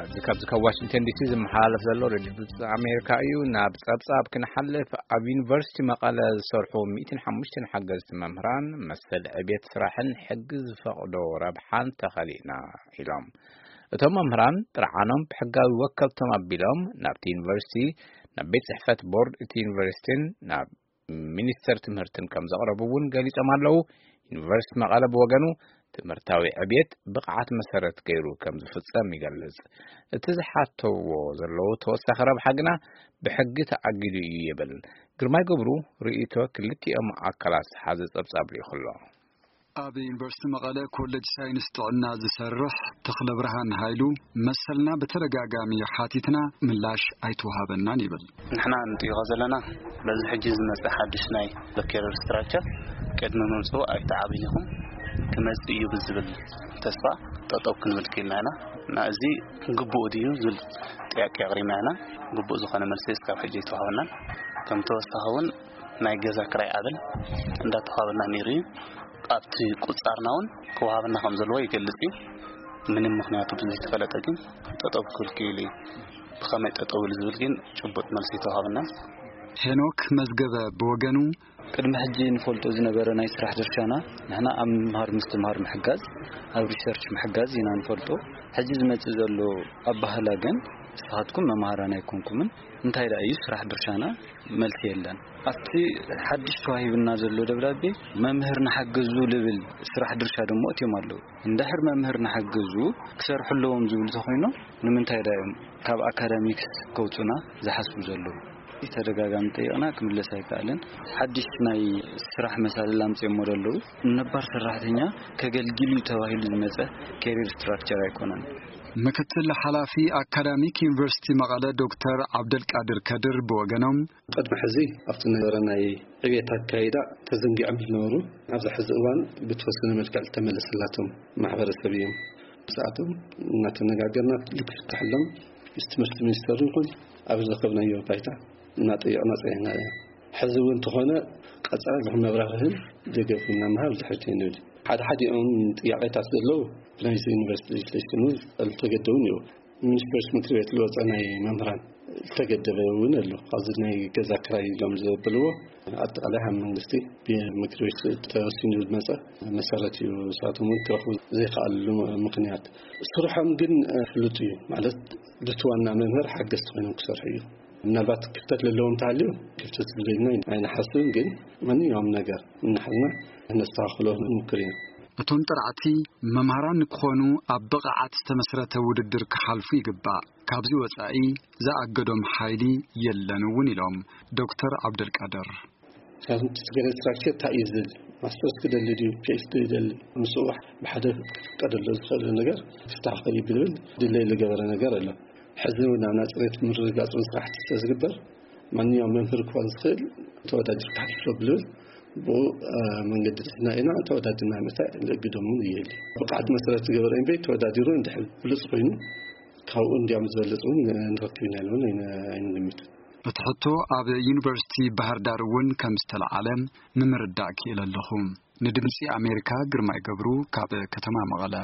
እዚ ካብዚ ካብ ዋሽንግተን ዲሲ ዝመሓላለፍ ዘሎ ሬድዮ ድምፂ ኣሜሪካ እዩ። ናብ ፀብፃብ ክንሓልፍ፣ ኣብ ዩኒቨርሲቲ መቐለ ዝሰርሑ ሚእትን ሓሙሽተን ሓገዝቲ መምህራን መሰል ዕብየት ስራሕን ሕጊ ዝፈቕዶ ረብሓን ተኸሊእና ኢሎም። እቶም መምህራን ጥርዓኖም ብሕጋዊ ወከልቶም ኣቢሎም ናብቲ ዩኒቨርሲቲ፣ ናብ ቤት ፅሕፈት ቦርድ እቲ ዩኒቨርሲቲን ናብ ሚኒስተር ትምህርትን ከም ዘቕረቡ እውን ገሊጾም ኣለዉ። ዩኒቨርሲቲ መቐለ ብወገኑ ትምህርታዊ ዕብየት ብቕዓት መሰረት ገይሩ ከም ዝፍጸም ይገልጽ። እቲ ዝሓተዎ ዘለዉ ተወሳኺ ረብሓ ግና ብሕጊ ተኣጊዱ እዩ ይብል። ግርማይ ገብሩ ርእይቶ ክልቲኦም ኣካላት ዝሓዘ ጸብጻብ ልኢኹ ኣሎ። ኣብ ዩኒቨርሲቲ መቐለ ኮሌጅ ሳይንስ ጥዕና ዝሰርሕ ተኽለ ብርሃን ሃይሉ፣ መሰልና ብተደጋጋሚ ሓቲትና ምላሽ ኣይተዋሃበናን ይብል። ንሕና ንጥይቖ ዘለና በዚ ሕጂ ዝመጽእ ሓድሽ ናይ ሎኬር ስትራክቸር ቅድሚ ምምጽኡ ኣይተዓብን ኢኹም፣ ክመጽእ እዩ ብዝብል ተስፋ ጠጠው ክንብል ክኢልና ኢና። እና እዚ ግቡእ ድዩ ዝብል ጥያቄ ኣቕሪብና ኢና። ግቡእ ዝኾነ መልሲ እስካብ ሕጂ ኣይተዋሃበናን። ከም ተወሳኺ እውን ናይ ገዛ ክራይ ኣበል እንዳተዋሃበና ነይሩ እዩ። ኣብቲ ቁጻርና እውን ክወሃበና ከም ዘለዎ ይገልጽ እዩ። ምንም ምኽንያቱ ብዘይተፈለጠ ግን ጠጠው ክብል ክኢሉ እዩ። ብኸመይ ጠጠው ኢሉ ዝብል ግን ጭቡጥ መልሲ ኣይተዋሃበናን። ሄኖክ መዝገበ ብወገኑ፣ ቅድሚ ሕጂ ንፈልጦ ዝነበረ ናይ ስራሕ ድርሻና፣ ንሕና ኣብ ምምሃር ምስትምሃር ምሕጋዝ፣ ኣብ ሪሰርች ምሕጋዝ ኢና ንፈልጦ። ሕጂ ዝመጽእ ዘሎ ኣባህላ ግን፣ ንስኻትኩም መምሃራን ኣይኮንኩምን፣ እንታይ ደኣ እዩ ስራሕ ድርሻና? መልሲ የለን። ኣብቲ ሓድሽ ተዋሂብና ዘሎ ደብዳቤ፣ መምህር ንሓግዙ ልብል ስራሕ ድርሻ ደሞ እትዮም ኣለዉ። እንድሕር መምህር ንሓግዙ ክሰርሑ ኣለዎም ዝብሉ ተኾይኖም፣ ንምንታይ ደኣ እዮም ካብ ኣካዳሚክስ ከውጹና ዝሓስቡ ዘለዉ? ተደጋጋሚ ጠይቕና ክምለስ ኣይከኣለን። ሓድሽ ናይ ስራሕ መሳልል ኣምጺኦሞ ዘለዉ፣ ነባር ሰራሕተኛ ከገልግል እዩ ተባሂሉ ዝመጸ ኬሪር ስትራክቸር ኣይኮነን። ምክትል ሓላፊ ኣካዳሚክ ዩኒቨርሲቲ መቐለ ዶክተር ዓብደልቃድር ከድር ብወገኖም፣ ቅድሚ ሕዚ ኣብቲ ነበረ ናይ ዕብየት ኣካይዳ ተዘንጊዖም ዝነበሩ፣ ኣብዚ ሕዚ እዋን ብተወሰነ መልክዕ ዝተመለሰላቶም ማሕበረሰብ እዮም። ብሰዓቶም እናተነጋገርና ልክፍታሕሎም ምስ ትምህርቲ ሚኒስተር ይኹን ኣብ ዝረኸብናዮ ባይታ እናጠየቕና ጸኒሕና እዮም። ሕዚ እውን እንተኾነ ቀጻሊ ዝኾነ መብራህርህን ደገፍን እናምሃብ ድሕርቲ ንብል። ሓደ ሓዲኦም ጥያቄታት ዘለዉ ብናይዚ ዩኒቨርሲቲ ሌጅስሌሽን እውን ዝተገደቡ እዮም። ሚኒስትሮች ምክር ቤት ዝወፀ ናይ መምህራን ዝተገደበ እውን ኣሎ። ኣብዚ ናይ ገዛ ክራይ ኢሎም ዘብልዎ ኣጠቃላይ ካብ መንግስቲ ብምክር ቤት ተወሲኑ ዝመፀ መሰረት እዩ። ንሳቶም እውን ክረኽቡ ዘይከኣሉ ምክንያት ስርሖም ግን ፍሉጥ እዩ። ማለት እቲ ዋና መምህር ሓገዝቲ ኮይኖም ክሰርሑ እዩ። ምናልባት ክፍተት ዘለዎም እንተሃልዩ ክፍተት ዝብለና ኣይንሓስብን፣ ግን ማንኛውም ነገር እናሓዝና ነስተኻኽሎ ንሙክር ኢና። እቶም ጥራዕቲ መምሃራን ንክኾኑ ኣብ ብቕዓት ዝተመስረተ ውድድር ክሓልፉ ይግባእ። ካብዚ ወጻኢ ዝኣገዶም ሓይሊ የለን እውን ኢሎም ዶክተር ዓብደልቃድር። ሳይንቲፊክ ስትራክቸር እንታይ እዩ ዝብል፣ ማስተርስ ክደሊ ድዩ፣ ፒኤችዲ ይደሊ፣ ምስኡ ብሓደ ክፍቀደሉ ዝኽእል ነገር ክፍታሕ ክብል ይብል ድለይ ዝገበረ ነገር ኣሎ። ሕዚ እውን ኣብ ናይ ጽሬት ምርግጋጽ ስራሕቲ ስለ ዝግበር ማንኛውም መምህር ክኾን ዝኽእል ተወዳዲርካ ሓልፎ ብልብል ብኡ መንገዲ ድሕና ኢና ተወዳዲርና ምእታይ ልእግዶም እውን እየሊ። ብቕዓት መሰረት ዝገበረ እምበይ ተወዳዲሩ እንድሕር ብሉፅ ኮይኑ ካብኡ እንዲያም ዝበልፅ እውን ንረክብ ኢና ኢሉ እውን ኣይንግምትን። እቲ ሕቶ ኣብ ዩኒቨርሲቲ ባህር ዳር እውን ከም ዝተለዓለ ንምርዳእ ክኢለ ኣለኹ። ንድምፂ ኣሜሪካ ግርማይ ገብሩ ካብ ከተማ መቐለ።